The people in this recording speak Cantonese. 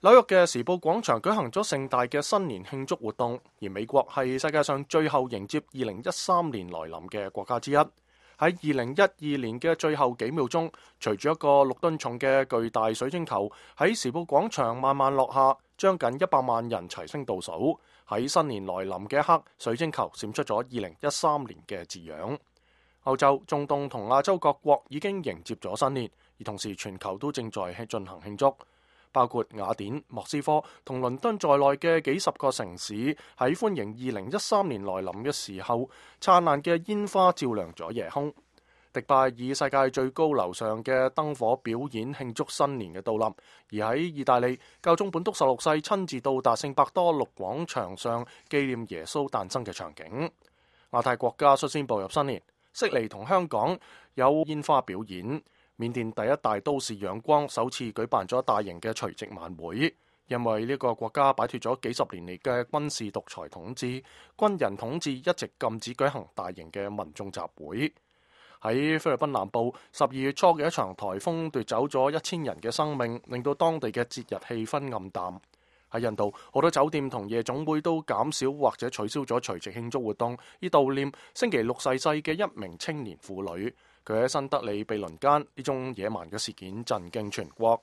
紐約嘅時報廣場舉行咗盛大嘅新年慶祝活動，而美國係世界上最後迎接2013年來臨嘅國家之一。喺2012年嘅最後幾秒鐘，隨住一個6噸重嘅巨大水晶球喺時報廣場慢慢落下，將近100萬人齊聲倒數。喺新年來臨嘅一刻，水晶球閃出咗2013年嘅字樣。歐洲、中東同亞洲各國已經迎接咗新年，而同時全球都正在進行慶祝。包括雅典、莫斯科同倫敦在內嘅幾十個城市喺歡迎2013年來臨嘅時候，燦爛嘅煙花照亮咗夜空。迪拜以世界最高樓上嘅燈火表演慶祝新年嘅到臨，而喺意大利，教宗本篤16世親自到達聖伯多祿廣場上紀念耶穌誕生嘅場景。亞太國家率先步入新年，悉尼同香港有煙花表演。緬甸第一大都市仰光首次舉辦咗大型嘅除夕晚會，因為呢個國家擺脫咗幾十年嚟嘅軍事獨裁統治，軍人統治一直禁止舉行大型嘅民眾集會。喺菲律賓南部，12月初嘅一場颱風奪走咗1000人嘅生命，令到當地嘅節日氣氛暗淡。喺印度，好多酒店同夜總會都減少或者取消咗除夕慶祝活動，以悼念星期六逝世嘅一名青年婦女。佢喺新德里被輪姦，呢宗野蠻嘅事件震驚全國。